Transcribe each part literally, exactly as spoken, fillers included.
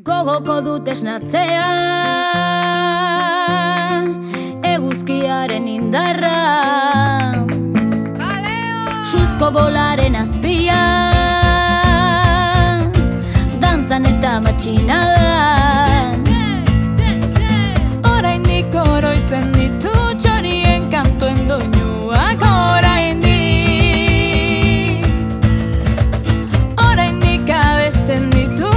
Gogoko dut esnatzea, eguzkiaren indarra, suzko bolaren azpia, dantzan eta matxinadan. Oraindik oroitzen ditu txorien kantuen doinuak, oraindik Oraindik abesten ditu.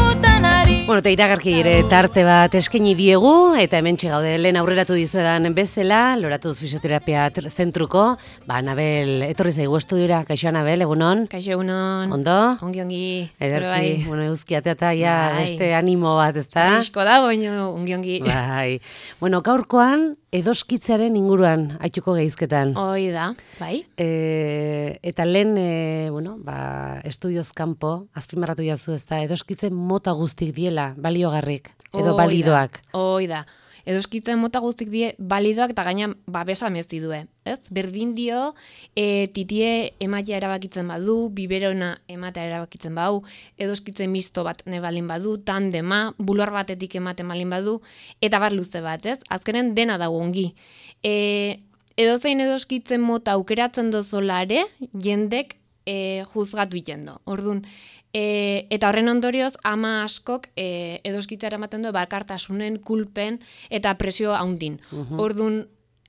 Bueno, eta iragarki ere tarte bat eskaini diegu, eta hementxe gaude lehen aurreratu dizuedan bezala, Loratuz Fisioterapia Zentruko, ba, Anabel, etorri zaigu estudiora, kaixo Anabel, egunon? Kaixo egunon. Ondo? Ongi, ongi. Ederki, bueno, euskiatea eta ja, beste animo bat, ezta? Frisko da, baina ongi, ongi. Bai. Bueno, gaurkoan, edoskitzaren inguruan, haituko geizketan. Hoi da, bai. E, eta lehen, e, bueno, ba, estudioz kanpo, azpimarratu jazu ez da, edoskitzen mota guztik diela, baliogarrik, edo balidoak. Hoi da. Edoskitzen mota guztik die balidoak eta gaina babesa mezi due, ez? Berdin dio, e, titie ematea erabakitzen badu, biberona ematea erabakitzen badu, edoskitzen misto bat nebalin badu, tandema, bular batetik ematen balin badu, eta bar luze bat, ez? Azkenen dena dago ongi. E, edozein edoskitzen mota aukeratzen dozolare, jendek e, juzgatu itendo. Orduan, E, eta horren ondorioz, ama askok e, edoskitzara ematen du bakartasunen, kulpen eta presio haundin. Uh-huh. Orduan,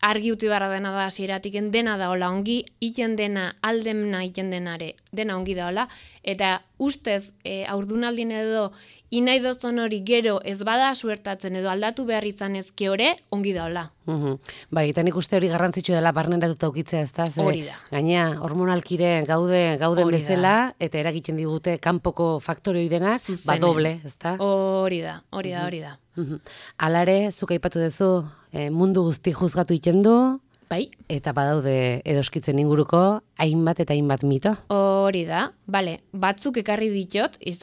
argi uti barra dena da hasieratik dena da hola ongi, iten dena, aldemna iten denare, dena ongi da hola, eta ustez, e, aurdunaldin edo, inai dozon hori gero ez bada suertatzen edo aldatu behar izan ezke hori, ongi da hola. Uhum. Bai, eta nik uste hori garrantzitsu dela barneratuta ukitzea, ez da? Hori da. Gaina, hormonalkire gaude, gauden Hori bezala, da. eta eragiten digute kanpoko faktoroi denak, ba doble, ez da? Hori da, hori da, hori da. Uhum. Alare, zuk aipatu duzu, e, mundu guzti juzgatu iten du, bai. Eta badaude edoskitzen inguruko, hainbat eta hainbat mito. Hori da, bale, batzuk ekarri ditot, ez,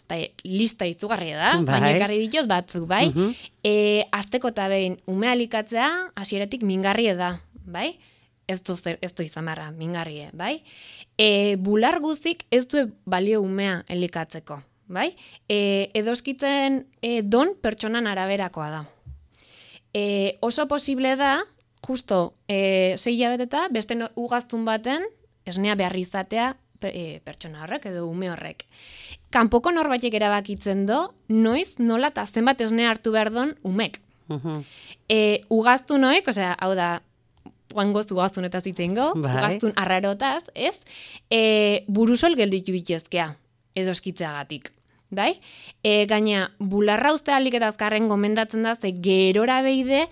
lista izugarria da, bai. Baina ekarri ditot batzuk, bai? Uh-huh. E, azteko eta behin, ume alikatzea, hasieratik mingarrie da, bai? Ez du, ez du izan barra, mingarrie, bai? E, bular guzik ez du balio umea elikatzeko, bai? E, edoskitzen e, don pertsonan araberakoa da. E, oso posible da, justo, e, sei hilabeteta, beste no, ugaztun baten, esnea behar izatea e, pertsona horrek edo ume horrek. Kanpoko norbaitek erabakitzen do, noiz, nola eta zenbat esnea hartu behar don umek. Uh-huh. E, ugaztun hoek, osea, hau da, guangoz ugaztunetaz itzengo, bai. Ugaztun arrarotaz, ez, e, burusol gelditu bitezkea, edoskitzeagatik. Bai? E, gaina, bularra uste alik eta azkarren gomendatzen da, ze gerora beide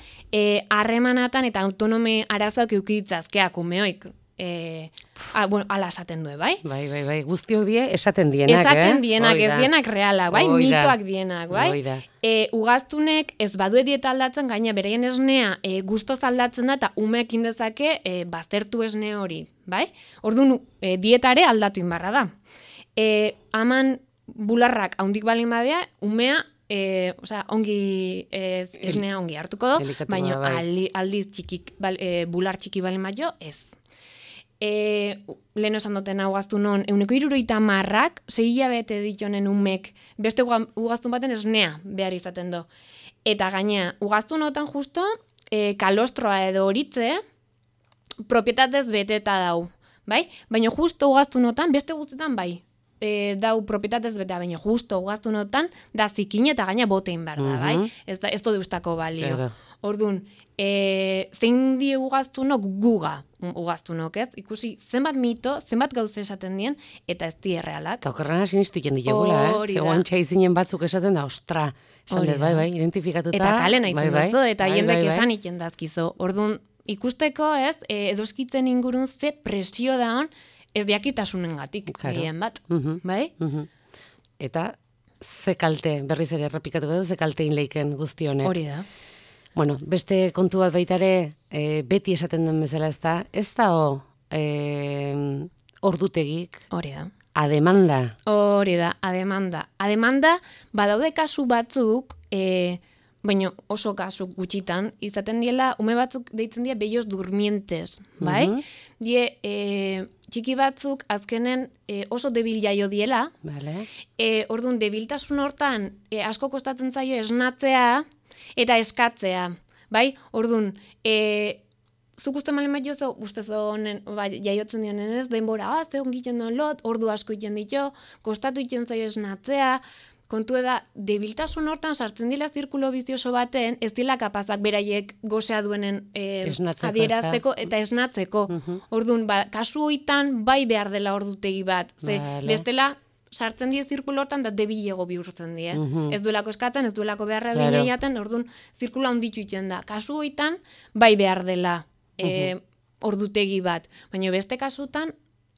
harremanatan e, eta autonome arazoak eukitzazkeak umeoik. E, a, bueno, ala esaten du, bai? Bai, bai, bai, guztiok die esaten dienak, esaten eh? dienak, ez dienak realak, bai? Oida. Mitoak dienak, bai? Oida. E, ugaztunek ez badu dieta aldatzen, gaina bereien esnea e, gustoz aldatzen da, eta umeekin dezake e, baztertu esne hori, bai? Orduan, e, dietare aldatu inbarra da. E, aman bularrak haundik balin badea, umea, e, osea, ongi, ez, esnea ongi hartuko do, baina bai. aldi, aldiz txikik, bal, e, bular txiki balin badio, ez. E, lehen esan duten hau gaztu non, euneko iruroita marrak, sei hilabete ditonen umek, beste ugaztun baten esnea behar izaten do. Eta gaina, ugaztunotan justo, e, kalostroa edo horitze, propietatez beteta dau, bai? Baina justo ugaztunotan, beste guztetan bai, e, dau propietatez betea, baina justo ugaztunotan, da zikin eta gaina botein behar da, bai? Ez, da, ez do deustako balio. Claro. Orduan, e, zein die ugaztunok guga ugaztunok, ez? Ikusi zenbat mito, zenbat gauze esaten dien, eta ez die errealak. Eta okerrena sinistu jen diogula, eh? Hori da. Zegoen txaizinen batzuk esaten da, ostra, esan dut, bai, bai, identifikatuta. Eta kalen bai, aitzen bai, duztu, eta bai, jendek bai, bai. esan iten dazkizo. Orduan, ikusteko, ez, e, edoskitzen ingurun ze presio da hon, ez diakitasunen gatik, Claro. gehien bat, Mhm. bai? Mhm. Eta ze kalte, berriz ere errepikatuko du, ze kalte inleiken guzti honek. Hori da. Bueno, beste kontu bat baitare, e, beti esaten den bezala ez da, ez da o, e, ordutegik, Hori da. ademanda. Hori da, ademanda. Ademanda, badaude kasu batzuk, e, baina oso kasu gutxitan, izaten diela, ume batzuk deitzen dira bellos durmientes, bai? Mhm. Die, e, txiki batzuk azkenen e, oso debil jaio diela, Vale. e, orduan debiltasun hortan e, asko kostatzen zaio esnatzea eta eskatzea, bai? Orduan, e, zuk uste malen bat jozo, uste zonen, ba, jaiotzen dionen ez, denbora, ah, ze ongiten duen lot, ordu asko iten ditu, kostatu iten zaio esnatzea, kontu da, debiltasun hortan sartzen dila zirkulo bizioso baten, ez dila kapazak beraiek gozea duenen e, Esnatzeko, adierazteko eta esnatzeko. Mhm. Orduan, ba, kasu hoitan bai behar dela ordutegi bat, ze Vale. bestela sartzen die zirkulo hortan da debilego bihurtzen die. Mhm. Ez duelako eskatzen, ez duelako beharra Claro. claro. jaten, orduan zirkulo handitu iten da. Kasu hoitan bai behar dela e, ordutegi bat. Baina beste kasutan,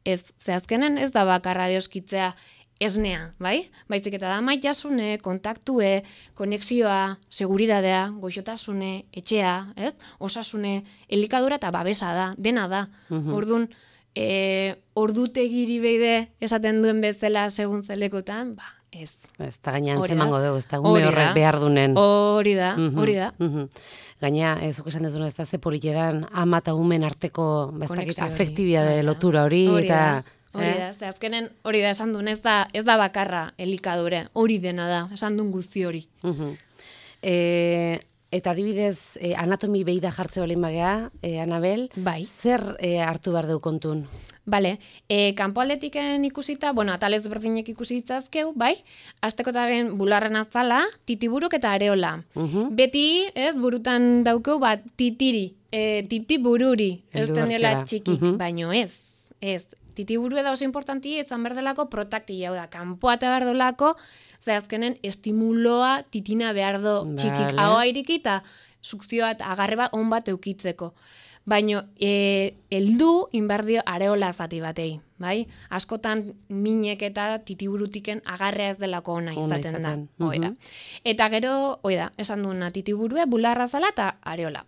ez, ze azkenen ez da bakarra deoskitzea esnea, bai? Baizik eta da maitasune, kontaktue, konexioa, seguridadea, goxotasune, etxea, ez? Osasune, elikadura eta babesa da, dena da. Mhm. Orduan, e, ordutegiri beide esaten duen bezala segun zelekotan, ba, ez. Ez da gaina Hori da. antzemango dugu, ez da Hori ume horrek da. behar dunen. Hori da, Mhm, hori da. mhm. Gaina, ez zuk esan dezuna, ez da ze politedan ama eta umen arteko ba, ez dakit, Konexio hori. afektibidade Hori da. lotura hori, Hori eta... da. Hori eh? da, ze azkenen hori da esan duen, ez da, ez da bakarra elikadure, hori dena da, esan duen guzti hori. Mhm. E, eta adibidez, e, anatomi behi da jartze balin bagea, e, Anabel, Bai. zer e, hartu behar deu kontun? Bale, e, kanpo aldetiken ikusita, bueno, atalez berdinek ikusi ditzazkeu, bai, azteko eta ben bularren azala, titiburuk eta areola. Mhm. Beti, ez, burutan daukeu, bat, titiri, e, titibururi, Heldu eusten dela bertera. txikik, Mhm. baino ez, ez. Titiburu da oso importanti, izan berdelako protakti hau da, kanpoa eta berdolako, ze azkenen estimuloa titina behar do txikik, Vale. ahoa iriki eta sukzioa eta agarre bat on bat eukitzeko. Baina, e, eldu inbardio areola zati batei, bai? Askotan minek eta titiburutiken agarrea ez delako ona Ona izaten da. izaten, Hoi da. mhm. Eta gero, hoi da, esan duena titiburue, bularra zala eta areola.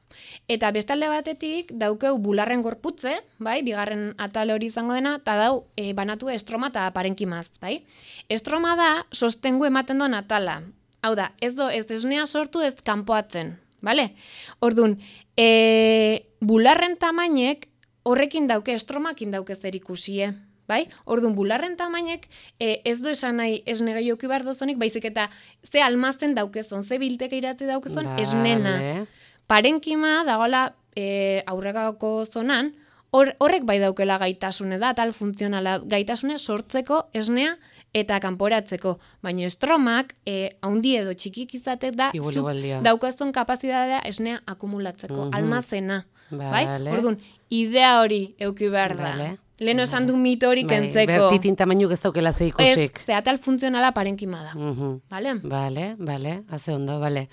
Eta bestalde batetik daukeu bularren gorputze, bai? Bigarren atal hori izango dena, eta dau e, banatu estroma eta parenkimaz, bai? Estroma da sostengu ematen duen atala. Hau da, ez do, ez esnea sortu ez kanpoatzen, bale? Orduan, e, bularren tamainek horrekin dauke, estromakin dauke zer ikusie, bai? Orduan, bularren tamainek e, ez du esan nahi esne gehioki behar dozonik, baizik eta ze almazen daukezon, ze bilteke iratzi daukezon, esnena. Vale. Parenkima dagoela e, aurrekako zonan, hor, horrek bai daukela gaitasune da, tal funtzionala gaitasune sortzeko esnea eta kanporatzeko. Baina estromak, e, haundi edo txikik izatek da, Igual, zuk igual dio. daukazun kapazitatea esnea akumulatzeko, Mhm. almazena. Bai? Vale. Orduan, idea hori euki behar da. Vale. Leheno esan du mito hori Bai, kentzeko. bertitin tamainuk ez daukela ze Ez, ikusik. ze atal funtzionala parenkima da. Mhm. Bale? Bale, bale, haze ondo, bale.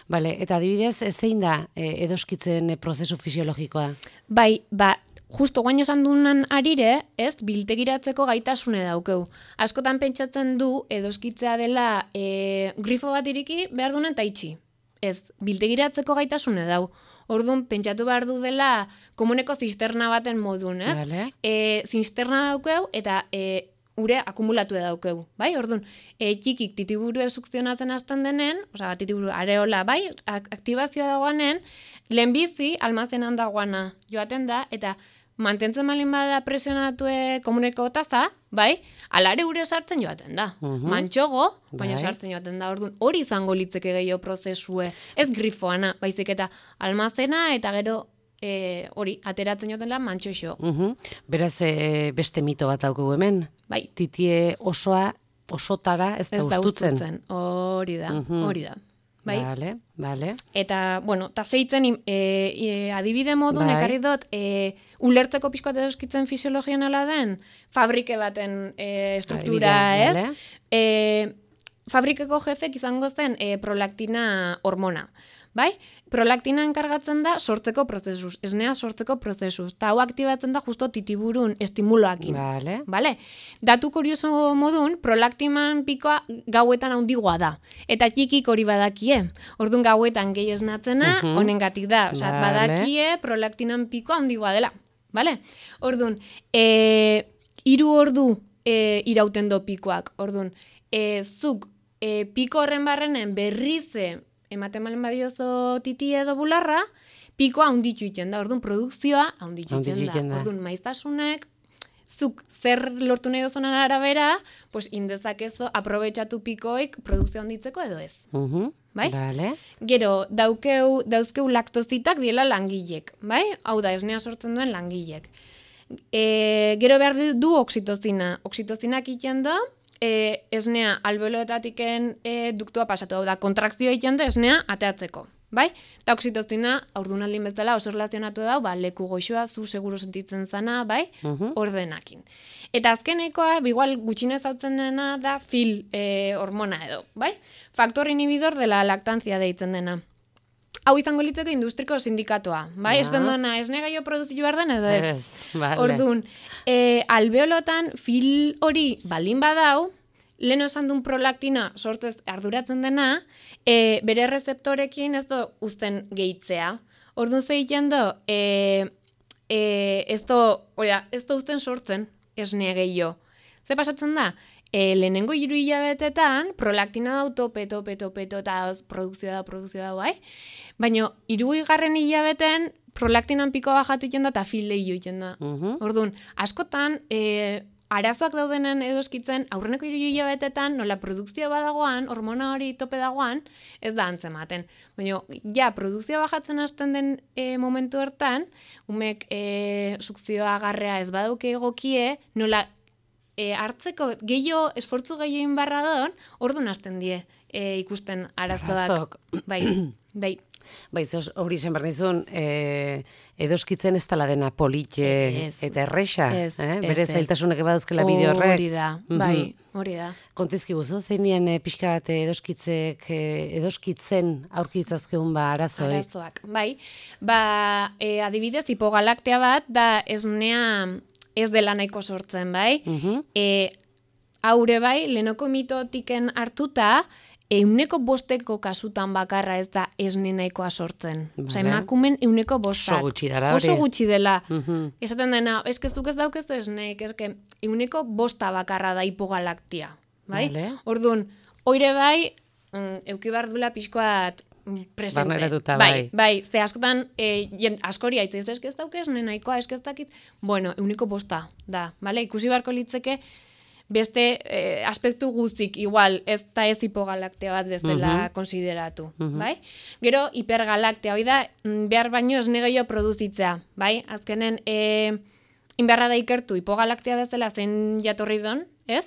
Bale, eta adibidez, e, zein da e, edoskitzen e, prozesu fisiologikoa? Bai, ba, justo guain esan dunan arire, ez, biltegiratzeko gaitasune daukeu. Askotan pentsatzen du edoskitzea dela e, grifo bat iriki behar duen eta itxi. Ez, biltegiratzeko gaitasune dau. Orduan, pentsatu behar du dela komuneko zisterna baten modun, ez? Vale. E, zisterna daukeu eta e, ure akumulatu daukeu, bai? Orduan, e, txikik titiburu sukzionatzen hasten denen, osea, titiburu areola, bai? Ak aktibazioa dagoanen, lehenbizi almazenan dagoana joaten da, eta mantentzen malin bada presionatue komuneko taza, bai? Alare ure sartzen joaten da. Mhm. Mantxogo, baina Bai. sartzen joaten da. Orduan, hori izango litzeke gehiago prozesue. Ez grifoana, baizik eta almazena eta gero e, hori, ateratzen joaten da mantxoxo. Mhm. Beraz, e, beste mito bat daukagu hemen. Bai, Titie osoa, osotara ez da ez da ustutzen. ustutzen. Hori da, Mhm. hori da. Bai? Bale, bale. Eta, bueno, ta seitzen e, e, adibide modun Bai. ekarri dut e, ulertzeko pixkoat edoskitzen fisiologia nola den, fabrike baten e, struktura, Adibidea, ez? bale. E, fabrikeko jefek izango zen e, prolaktina hormona. Bai? Prolaktina enkargatzen da sortzeko prozesuz, esnea sortzeko prozesuz. Ta hau aktibatzen da justo titiburun estimuloakin. Bale. Vale? Datu kurioso modun, prolaktiman pikoa gauetan handigoa da. Eta txikik hori badakie. Orduan gauetan gehi esnatzena, Mhm. honengatik da. Osea, Vale. badakie prolaktinan pikoa handigoa dela. Vale? Orduan, e, hiru ordu e, irauten do pikoak. Orduan, e, zuk e, piko horren barrenen berrize ematen malen badiozo titi edo bularra, pikoa handitu iten da. Orduan, produkzioa handitu Handitu iten da. egiten da. Orduan, maiztasunek zuk zer lortu nahi dozunan arabera, pues indezakezu aprobetxatu pikoik produkzio handitzeko edo ez. Mhm. Bai? Vale. Gero, daukeu, dauzkeu laktozitak diela langilek, bai? Hau da, esnea sortzen duen langilek. E, gero behar du oxitozina. Oxitozinak iten da, e, esnea albeoloetatiken e, duktua pasatu, hau da, kontrakzio iten da esnea ateatzeko. Bai? Eta oxitozina, aurdunaldin bezala oso relazionatu da, ba, leku goxoa, zu seguru sentitzen zana, bai? Mhm. Ordenakin. Eta azkenekoa, igual gutxinez hautzen dena da fil e, hormona edo, bai? Faktor inhibidor dela laktantzia deitzen dena. Hau izango litzeko industriko sindikatoa, bai? Ja. Ez den dona, esne gaio produzitu behar den edo ez? Ez, vale. Orduan, e, albeolotan fil hori baldin badau, lehen esan duen prolaktina sortez arduratzen dena, e, bere rezeptorekin ez do uzten gehitzea. Orduan ze egiten do, e, e, ez do, oida, ez do uzten sortzen esne gehiago. Ze pasatzen da? E, lehenengo hiru hilabetetan, prolaktina dau tope, tope, tope, eta produkzioa da, produkzioa da, bai? Baina, hiru garren hilabeten, prolaktinan piko bajatu iten da, eta fil lehio iten da. Mhm. Orduan, askotan, e, arazoak daudenen edoskitzen, aurreneko hiru hilabetetan, nola produkzioa badagoan, hormona hori tope dagoan, ez da antzematen. Baina, ja, produkzioa bajatzen hasten den e, momentu hortan, umek e, sukzioa agarrea ez baduke egokie, nola e, hartzeko gehiago, esfortzu gehiago inbarra don, orduan hasten die e, ikusten arazoak. Arazok. Bai, bai. Bai, ze hori zen behar nizun, e, edoskitzen ez tala dena polite Ez. eta erresa, Ez, eh? ez, Bere ez. zailtasunak ebaduzkela bideo horrek. Hori da, bai, hori da. Kontizki guzu, zein dien e, pixka bat edoskitzek, e, edoskitzen aurkitzazkeun ba arazoi. Arazoak, bai. Ba, e, adibidez, hipogalaktea bat, da esnea ez dela nahiko sortzen, bai. Mhm. E, haure bai, lehenoko mitotiken hartuta, euneko bosteko kasutan bakarra ez da esne nahikoa sortzen. Osa, Vale. emakumen euneko bostak. Oso gutxi dara hori. Oso gutxi dela. Mhm. Esaten dena, eskezuk ez daukezu esneek, eske, euneko bosta bakarra da hipogalaktia. Bai? Vale. Orduan, oire bai, mm, euki behar dula pixkoat mm, presente. Barneratuta, bai. bai. Bai, ze askotan, e, jen, askori haitze, eske ez dauke esne nahikoa, eske ez dakit, bueno, euneko bosta da, bale? Ikusi beharko litzeke, beste eh, aspektu guztik igual ez da ez hipogalaktea bat bezala Mhm. konsideratu, Mhm. bai? Gero hipergalaktea, hoi da, mm, behar baino esne gehiago produzitzea, bai? Azkenen, e, inberra da ikertu hipogalaktea bezala zein jatorri don, ez?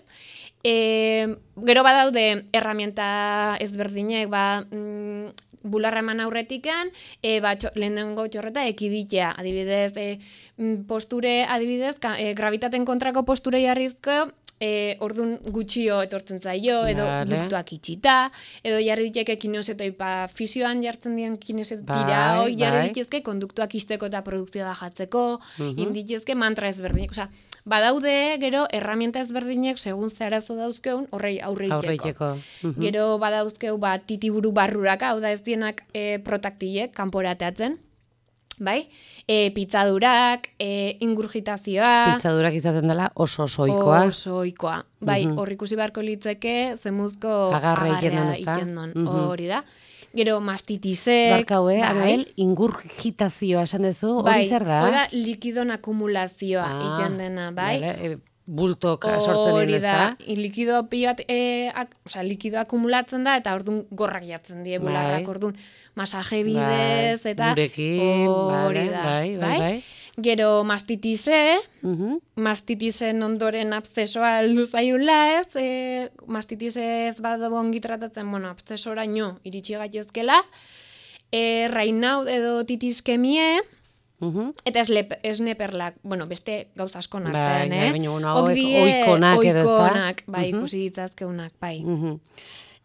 E, gero badaude erramienta ezberdinek, ba, mm, bularra eman aurretikan, e, ba, txo, lehenengo txorreta ekiditea, adibidez, e, mm, posture, adibidez, ka, e, gravitaten kontrako posture jarrizko, E, ordun gutxio etortzen zaio, edo Vale. duktuak itxita, edo jarri diteke kinesiotoipa fisioan jartzen dien kinesiotira, Bai, hoi jarri bai. ditezke konduktuak isteko eta produkzioa bajatzeko, Mhm. inditezke mantra ezberdinek, osea, badaude gero erramienta ezberdinek segun ze arazo dauzkeun horrei aurre itxeko. Aurreiteko. Mhm. Gero badauzkeu ba titiburu barruraka, hau da ez dienak e, protaktilek kanporateatzen. Bai? E, pitzadurak, e, ingurgitazioa, Pitzadurak izaten dela oso oso ohikoa. Oso ohikoa. Bai, Mhm. hor ikusi beharko litzeke zemuzko Agarra egiten agarrea duen, ezta? egiten duen. Mhm. Hori da. Gero mastitisek. Barkau, eh? bai. Anabel, ingurgitazioa esan duzu, hori Bai, zer da? hori da likidon akumulazioa Ah, egiten dena, bai? Vale, e, bultok sortzen Hori dien, ez da? da, i- likido pilo bat, e, ak, osea, likido akumulatzen da, eta orduan gorrak jartzen die bularrak, Bai. orduan masaje bidez, Bai, eta gurekin, hori vale, da, bai, bai, bai. Gero mastitise, Mhm. mastitisen ondoren abszesoa heldu zaiula, ez? E, mastitise ez badu ongi tratatzen, bueno, abszesoraino iritsi gaitezkela. E, rainaut edo titiskemie, Mhm. eta esle, esneperlak, bueno, beste gauza asko Bai, artean, bai, eh? baina, bueno, Hok hauek die ohikonak edo, ezta? ohikonak, bai, Mhm. ikusi ditzazkeunak, bai. Mhm.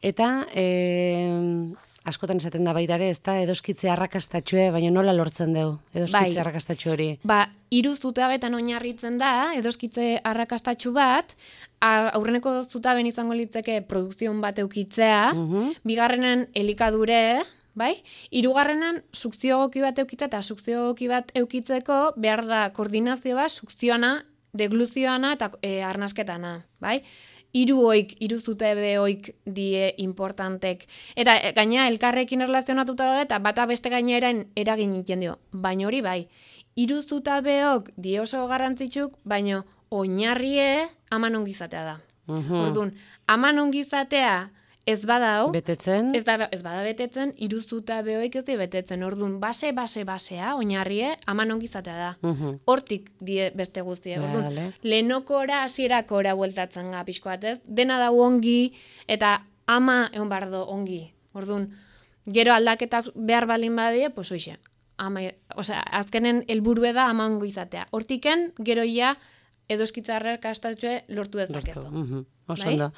Eta, e, askotan esaten da baita ere, ez da, edoskitze arrakastatxue, baina nola lortzen dugu, edoskitze Bai. arrakastatxu hori? Ba, hiru zutabetan oinarritzen da, edoskitze arrakastatxu bat, a- aurreneko zutaben izango litzeke produkzion bat eukitzea, Mhm. bigarrenen elikadure, bai? Hirugarrenan sukzio egoki bat eukitzea eta sukzio egoki bat eukitzeko behar da koordinazio bat sukzioana, degluzioana eta e, arnasketana, bai? Hiru oik, hiru zutabe oik die importantek. Eta e, gaina elkarrekin erlazionatuta daude eta bata beste gainera eragin egiten dio. Baina hori bai, hiru zutabeok die oso garrantzitsuk, baina oinarrie aman ongizatea da. Mhm. Orduan, aman ongizatea ez badau, Betetzen? ez, da, ez bada betetzen, iruzuta behoik ez di betetzen. Orduan, base, base, basea, oinarrie, aman ongizatea da. Mhm. Hortik die beste guztie. Orduan, Vale. lehenokora, hasierakora bueltatzen ga pixko bat, ez? Dena dau ongi, eta ama egon bardo ongi. Orduan, gero aldaketak behar balin badie, pues hoxe. Ama, osea, azkenen helburue da ama ongo izatea. Hortiken, gero ja, edo eskitzarrer kastatxue lortu ez dakezu. Mhm. Oso Bai? ondo.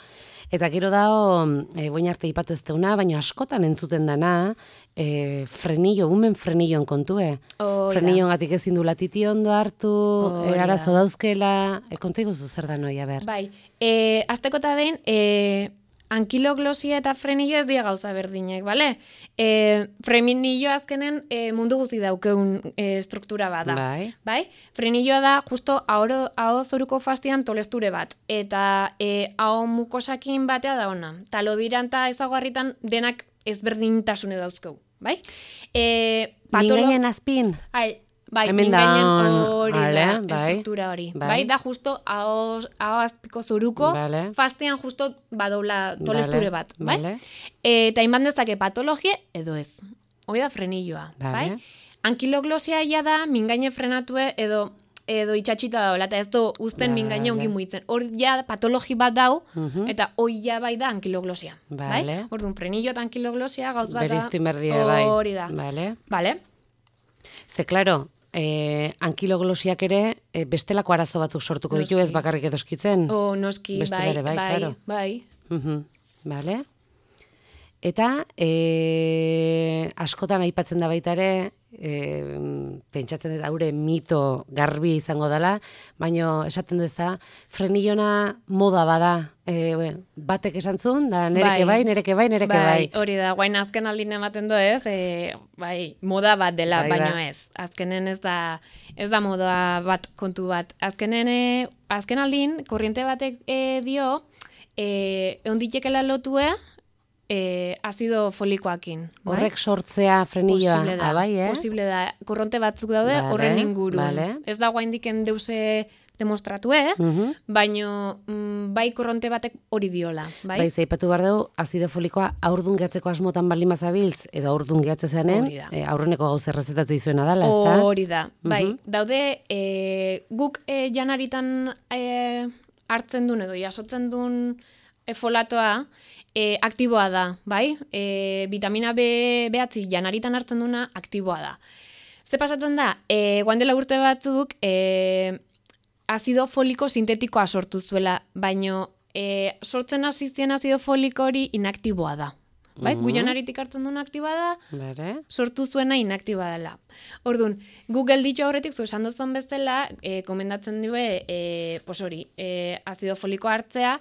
Eta gero dao, e, boin arte ipatu ez deuna, baina askotan entzuten dana, e, frenillo, umen frenillon kontue. Hoi da. Frenillon gatik ezin du latiti ondo hartu, Hoi e, da. arazo dauzkela, e, konta iguzu zer da noia, ber. Bai, e, azteko eta behin, e, ankiloglosia eta frenillo ez dira gauza berdinek, bale? E, frenillo azkenen e, mundu guzti daukeun e, struktura bat da. Bai. Bai? Frenilloa da justo aho, aho zoruko fastian tolesture bat. Eta e, aho mukosakin batea da ona. Talodiran eta ezaguarritan denak ezberdintasune dauzkeu. Bai? E, patolo... Mingainen azpin? Ai, bai, Hemen da, mingainen hori ale, da, bai. estruktura hori. Bai. Bai, da justo aho, aho azpiko zoruko, Vale. fastean justo badoula tolesture Vale, bat. Bai? vale. E, eta inban dezake patologie edo ez. Hoi da frenilloa. Vale. Bai? Ankiloglosia ja da mingaine frenatue edo edo itxatxita daola, eta ez du uzten Vale. mingaine ongi muitzen. Hor ja patologi bat dau, Mhm. eta hoi ja bai da ankiloglosia. Vale. Bai? Orduan, frenillo eta ankiloglosia gauz bat da. Beriztu inberdie, bai. Hori da. Vale. Vale? Ze, klaro, eh, ankiloglosiak ere eh, bestelako arazo batzuk sortuko ditu, Noski. ez bakarrik edoskitzen. O, noski, Bestela bai, ere bai, bai, claro. bai. Mhm. Vale. Eta e, askotan aipatzen da baita ere, e, pentsatzen dut haure mito garbi izango dela, baino esaten du ez da, frenillona moda bada. E, we, batek esan zuen, da nereke bai, Bai. nereke bai, nereke bai. Hori da, guain azken aldin ematen du ez, e, bai, moda bat dela, Bai, baino ba. ez. Azkenen ez da, ez da moda bat kontu bat. Azkenen, e, azken aldin, korriente batek e, dio, e, onditekela lotue, e, azido folikoakin. Bai? Horrek sortzea frenilloa, Posible da, ah, bai, eh? posible da. Korronte batzuk daude Vale, horren ingurun. vale. Ez da guaindiken deuse demostratu, eh? Mhm. Baino mm, bai korronte batek hori diola, bai? Bai, zeipatu behar dugu, azido folikoa aurdun gehatzeko asmotan baldin bazabiltz, edo aurdun gehatze zanen, Hori da. e, aurreneko gauz errezetatze izuena dala, ez da? Hori da, bai. Mhm. Daude, e, guk e, janaritan e, hartzen duen edo jasotzen duen e, folatoa, e, aktiboa da, bai? E, vitamina B behatzi janaritan hartzen duena aktiboa da. Ze pasatzen da, e, guan dela urte batzuk, e, azido foliko sintetikoa sortu zuela, baino e, sortzen hasi zien azido foliko hori inaktiboa da. Bai? Mhm. Gu janaritik hartzen duen aktiboa da, Bere? sortu zuena inaktiba dela. Orduan, Google ditu aurretik zu esan duzun bezala, e, komendatzen due, e, pos hori, e, azido foliko hartzea,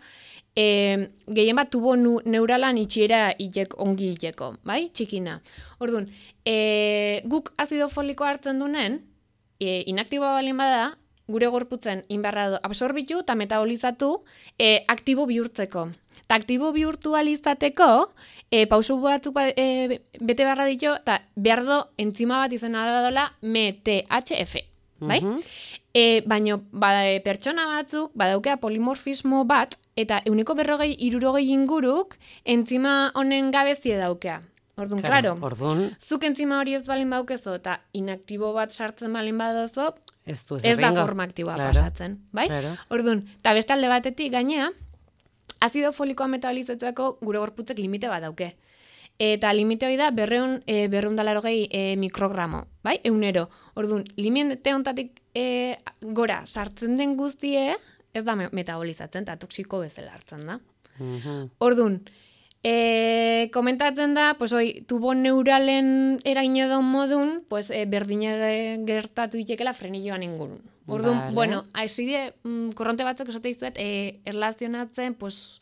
e, gehien bat tubo nu, neuralan itxiera ilek, ongi ileko, bai? Txikina. Orduan, e, guk azido foliko hartzen dunen, e, inaktiboa balin bada, gure gorputzen inbarra absorbitu eta metabolizatu e, aktibo bihurtzeko. Eta aktibo bihurtu alizateko, e, pausu batzuk ba, e, bete beharra ditu, eta behar do entzima bat izan dola M T H F. Bai? Mhm. E, baino, ba, e, pertsona batzuk badaukea polimorfismo bat, eta euneko berrogei irurogei inguruk entzima honen gabezie daukea. Orduan, klaro, Orduan, zuk entzima hori ez balin baukezo, eta inaktibo bat sartzen balin badozo, ez du ez ez da egingo. forma aktiboa Claro, pasatzen, bai? claro. Orduan, eta beste alde batetik gainea, azido folikoa metabolizatzeko gure gorputzek limite bat dauke. Eta limite hori da berreun, e, berreun dalarogei e, mikrogramo, bai? Eunero. Orduan, limite hontatik e, gora sartzen den guztie, ez da me- metabolizatzen, eta toksiko bezala hartzen da. Mhm. Orduan, e, komentatzen da, pues, oi, tubo neuralen eragin edo modun, pues, e, berdine gertatu itekela frenilloan ingurun. Orduan, Vale. bueno, haizide, mm, korronte batzuk esate dizuet, e, erlazionatzen, pues,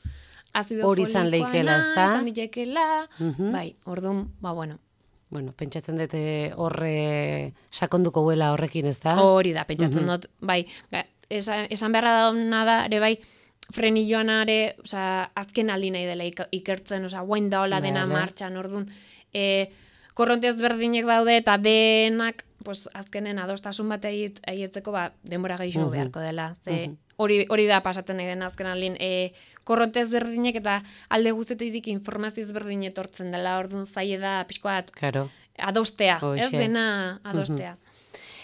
azido Hori izan folikoana, leikela, ezta? izan litekeela, Mhm. bai, orduan, ba, bueno, Bueno, pentsatzen dute horre sakonduko huela horrekin, ez da? hori da, pentsatzen dut, bai, ga- esan, esan beharra dauna da, ere bai, frenilloanare, osea, azken aldi nahi dela ik- ikertzen, osea, guain daola dena Vale. martxan, orduan, e, korronte ezberdinek daude, eta denak, pues, azkenen adostasun bat egit- egitzeko, ba, denbora gehiago Mhm. beharko dela, ze, Mhm. hori hori da pasatzen nahi den azken alin, e, korronte ezberdinek eta alde guztetik informazio ezberdin etortzen dela, orduan zaie da pixko bat Claro. adostea, Hoxe. ez dena adostea.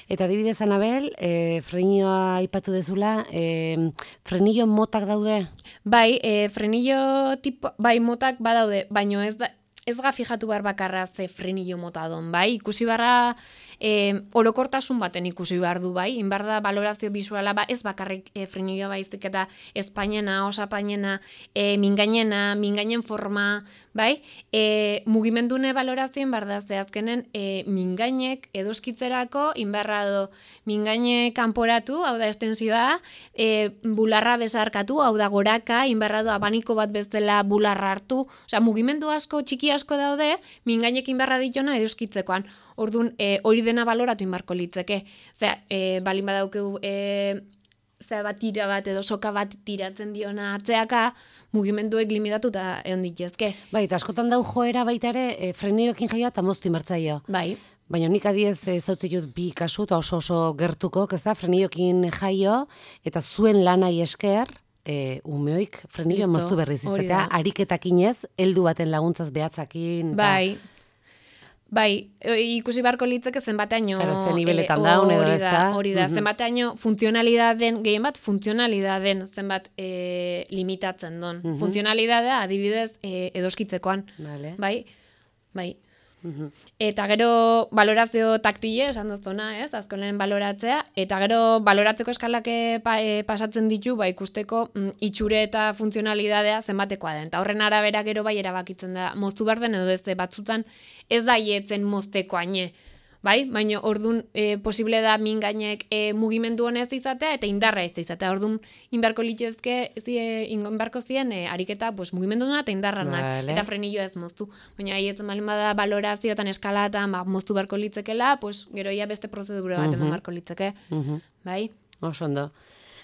Eta adibidez, Anabel, e, frenioa aipatu dezula, e, frenillo motak daude? Bai, e, frenillo tipo, bai, motak badaude, baino ez da, ez ga fijatu behar bakarra ze frenillo mota don, bai? Ikusi barra e, orokortasun baten ikusi behar du, bai? Inbar da valorazio visuala, ba, ez bakarrik e, frenillo baizik eta espainena, osapainena, e, mingainena, mingainen forma, bai? E, mugimendune valorazioen bar da zehazkenen e, mingainek edoskitzerako inbarra do mingaine kanporatu, hau da estensioa, e, bularra besarkatu, hau da goraka, inbarra do abaniko bat bezala bularra hartu, osea, mugimendu asko, txiki asko daude, mingainek inbarra ditona edoskitzekoan. Orduan, e, hori dena baloratu inbarko litzeke. Osea, e, balin badaukeu e, zera bat tira bat edo soka bat tiratzen diona atzeaka, mugimenduek limitatuta egon ditezke. Bai, eta askotan dau joera baita ere, e, frenioekin jaio eta moztu inbertzaio. Bai. Baina nik adiez e, zautzi dut bi kasu eta oso oso gertuko, ez da, frenioekin jaio eta zuen lanai esker, e, umeoik frenillo Listo, moztu berriz hori izatea, da. ariketakinez, heldu baten laguntzaz behatzakin. eta- Bai. Bai, e, ikusi beharko litzeke zenbateaino Claro, ze nibeletan e, daun edo hori ez da. da, hori da, Mhm. zenbateaino funtzionalidaden, gehien bat funtzionalidaden zenbat e, limitatzen don. Mhm. Funtzionalidadea adibidez e, edoskitzekoan. Vale. Bai, bai. Mhm. Eta gero valorazio taktile, esan duzuna, ez? Azkonen valoratzea. Eta gero valoratzeko eskalak e, pa, e, pasatzen ditu, ba, ikusteko mm, itxure eta funtzionalidadea zenbatekoa den. Eta horren arabera gero bai erabakitzen da, moztu behar den edo ez batzutan ez da ietzen mozteko haine. Bai, baina ordun e, posible da mingainek e, mugimendu honez izatea eta indarra ez izatea. Ordun inbarko litzezke, zie, inbarko zien e, ariketa pues, mugimendu eta indarranak Vale. eta frenillo ez moztu. Baina haietzen balin bada valorazioetan eskalatan ba, moztu beharko litzekela, pues, gero ia beste prozedura bat eman Mhm. beharko litzeke. Mhm. Bai? Oso ondo.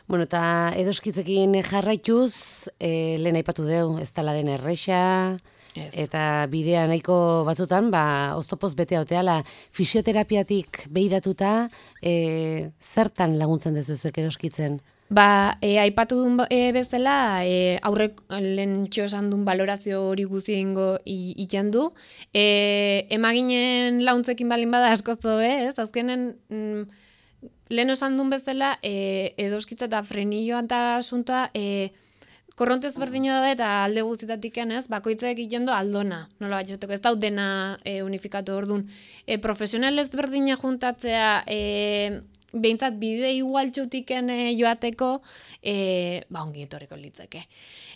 Bueno, eta edoskitzekin jarraituz, e, lehen aipatu deu, ez dela den erresa, Ez. eta bidea nahiko batzutan, ba, oztopoz bete oteala, fisioterapiatik behidatuta, e, zertan laguntzen dezuzuek edoskitzen? Ba, e, aipatu duen ba- e, bezala, e, aurrek lehen esan duen valorazio hori guzti ingo iten du. E, emaginen launtzekin balin bada askoz dobe, ez? Azkenen, mm, lehen esan duen bezala, e, edoskitza eta frenilloa eta asuntoa, e, korronte ezberdina da eta alde guztietatik ez, bakoitzak egiten du aldona. Nola bat ez dau dena e, unifikatu orduan. E, profesional ezberdina juntatzea, e, behintzat bide igualtxutiken e, joateko, e, ba ongi etorriko litzeke.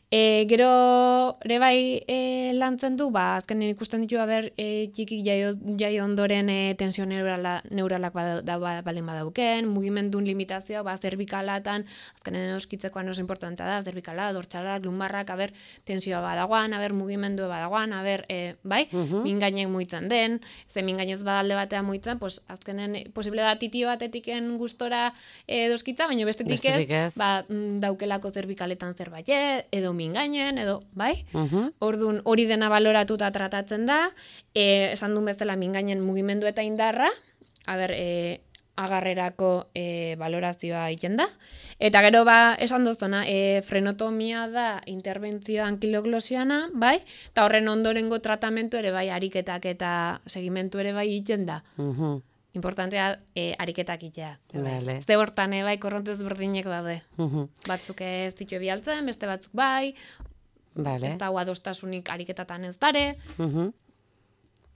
E, gero, ere bai e, lantzen du, ba, azkenen ikusten ditu, haber, e, txikik jaio, jaio ondoren e, tensio neurala, neuralak bada, da, ba, balen badauken, mugimendun limitazioa, ba, zerbikalatan, azkenen oskitzekoan oso importantea da, zerbikala, dortxalak, lumbarrak, haber, tensioa badagoan, haber, mugimendu badagoan, haber, e, bai, Mhm. mingainek muitzen den, ze mingainez badalde batean muitzen, pues, azkenen posible da titio batetiken gustora e, doskitza, baina bestetik Bestetik ez, ez. ba, mm, daukelako zerbikaletan zerbait, edo mingainen, edo, bai? Mhm. Orduan hori dena baloratuta tratatzen da, e, esan duen bezala mingainen mugimendu eta indarra, haber, e, agarrerako e, valorazioa egiten da. Eta gero ba, esan duzuna, e, frenotomia da interbentzio ankiloglosiana, bai? Eta horren ondorengo tratamentu ere bai, ariketak eta segimentu ere bai egiten da. Mhm. Importantea e, ariketak itea. Vale. Ze hortan, e, bai, korrontez berdinek daude. Mhm. Batzuk ez ditu bialtzen, beste batzuk bai, Vale. ez dago adostasunik ariketatan ez dare. Mhm.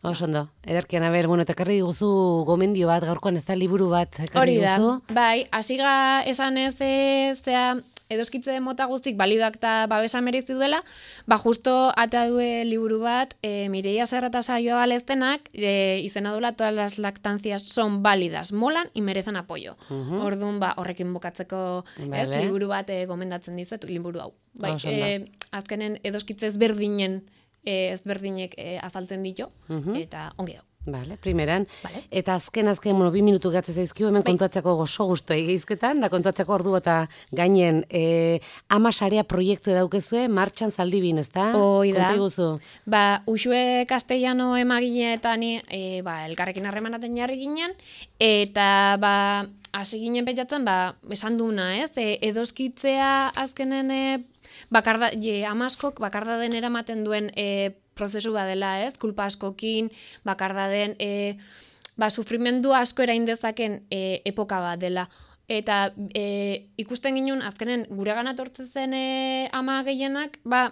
Oso ondo. Ederkian, aber, bueno, eta ekarri diguzu gomendio bat, gaurkoan ez da liburu bat ekarri Hori da, diguzu. bai, hasiga esan ez e, zea edoskitze mota guztik balidoak eta babesa merezi duela, ba justo ata due liburu bat, e, Mireia Serra eta Saioa Baleztenak, e, izena duela todas las lactancias son válidas, molan y merecen apoyo. Mhm. Orduan, ba, horrekin bukatzeko ez, Vale. liburu bat e, gomendatzen dizuet, liburu hau. Bai, Oso ondo. e, azkenen edoskitze ezberdinen e, ezberdinek e, azaltzen ditu, Mhm. eta ongi dago. Vale, primeran. Vale. Eta azken, azken, bueno, bi minutu gatze zaizkiu, hemen Bai. kontuatzeko gozo guztu egizketan, da kontuatzeko ordu eta gainen e, ama sarea proiektu edaukezue, martxan zaldibin, ez da? Hoi da. Konta iguzu. Ba, Uxue Castellano emagine eta ni, e, ba, elkarrekin harremanaten jarri ginen, eta, ba, hasi ginen pentsatzen, ba, esan duna, ez? E, edoskitzea azkenen, e, bakarda, je, amaskok bakarda den eramaten duen e, prozesu badela, ez? Kulpa askokin, bakarda den, e, ba, sufrimendu asko erain dezaken e, epoka bat dela. Eta e, ikusten ginen, azkenen gure gana tortzen zen e, ama gehienak, ba,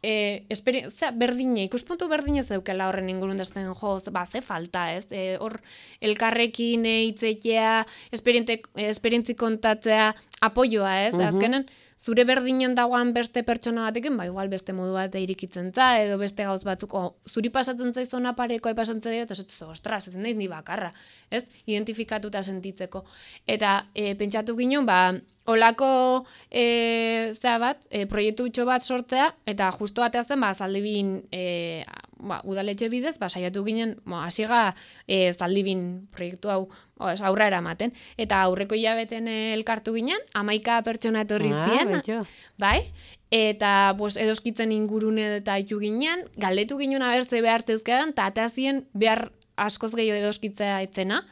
e, esperientzia berdine, ikuspuntu berdine zeukela horren ingurun desten, jo, ba, ze falta, ez? E, hor, elkarrekin e, hitzetea, esperientzi kontatzea, apoioa, ez? Mhm. Azkenen, zure berdinen dagoan beste pertsona batekin, ba, igual beste modu bat irikitzen za, edo beste gauz batzuk, o, zuri pasatzen zaizona parekoa pasatzen zaio, eta esatzen, ostras, ez naiz ni bakarra, ez? Identifikatuta sentitzeko. Eta e, pentsatu ginen, ba, olako e, zea bat, e, proiektu bat sortzea, eta justo batea zen, ba, zaldibin, e, ba, udaletxe bidez, ba, saiatu ginen, bo, hasiga e, zaldibin proiektu hau, o, ez, aurra eramaten. Eta aurreko hilabeten elkartu ginen, hamaika pertsona etorri Ah, ziren, betxo. bai? Eta pues, edoskitzen ingurune eta itu ginen, galdetu ginen abertze behar zeuzkedan, eta ateazien behar askoz gehiago edoskitzea etzena.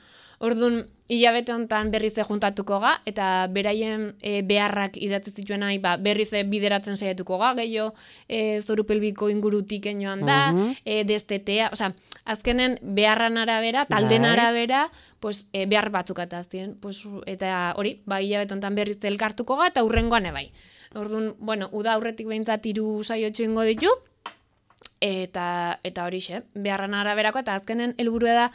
Orduan, hilabete honetan berriz juntatuko ga, eta beraien e, beharrak idatzi zituen nahi, ba, berriz bideratzen saiatuko ga, gehiago e, zoru pelbiko ingurutik joan da, Mhm. e, destetea, osea, azkenen beharran arabera, talden Bai. arabera, pues, e, behar batzuk atazien. Pues, eta hori, ba, hilabete honetan berriz elkartuko ga, eta hurrengoan ebai. Orduan, bueno, uda aurretik behintzat hiru saiotxo ingo ditu, eta eta horixe, beharran araberako, eta azkenen helburua da,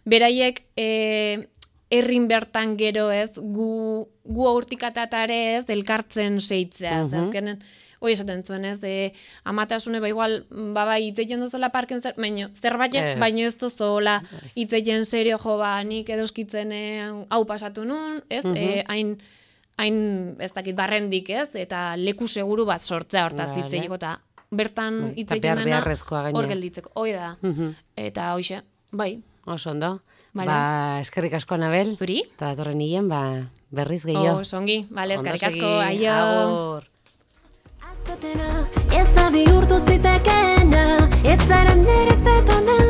beraiek e, herrin bertan gero ez, gu, gu aurtikatatare ez, elkartzen seitzea, Mhm. uh azkenen, hoi esaten zuen ez, e, amatasune, ba igual, ba bai, hitzeiten duzola parken zer, baino, zerbait, Ez. baino ez dozola, Ez. hitzeiten serio jo, ba, nik edoskitzen e, hau pasatu nun, ez, Mhm. e, hain, hain, ez dakit, barrendik, ez, eta leku seguru bat sortzea hortaz Vale. hitzeiko, eta bertan Bai, eta hitzeiten behar dena, beharrezkoa gainera. hor gelditzeko, hoi da, Mhm. eta hoxe, bai, Oso ondo. Vale. Ba, eskerrik asko, Anabel. zuri? Eta datorren hilen, ba, berriz gehiago. Oh, songi, vale, Ondo eskerrik asko, segi, aio. agur. Azatena, ez da bihurtu zitekeena, ez zara niretzat onen